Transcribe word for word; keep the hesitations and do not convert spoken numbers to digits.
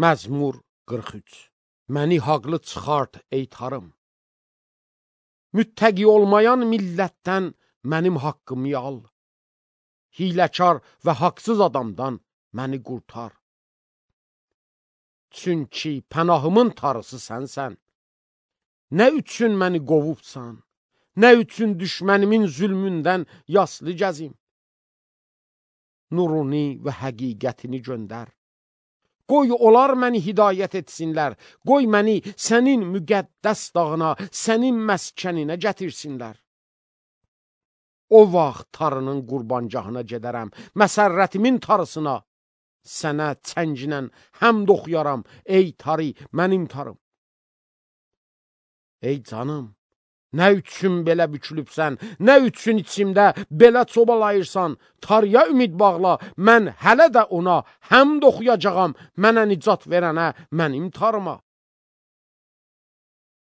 Məzmur qırx üç. Məni haqlı çıxart ey tarım. Müttəqi olmayan millətdən mənim haqqımı al. Hiləkar və haqsız adamdan məni qurtar. Çünki pənahımın tarısı sənsən. Nə üçün məni qovubsan? Nə üçün düşmənimin zülmündən yaslı gəzim? Nuruni və həqiqətini göndər. Qoy onlar məni hidayət etsinlər. Qoy məni sənin müqəddəs dağına, sənin məskəninə gətirsinlər. O vaxt tarının qurbancahına gedərəm, məsərrətimin tarısına. Sənə çənginən həmd oxuyaram, ey tarı, mənim tarım. Ey canım, nə üçün belə bükülübsən, nə üçün içimdə belə çobalayırsan, tarıya ümid bağla, mən hələ də ona həmd oxuyacağam, mənə nicat verənə, mənim tarıma.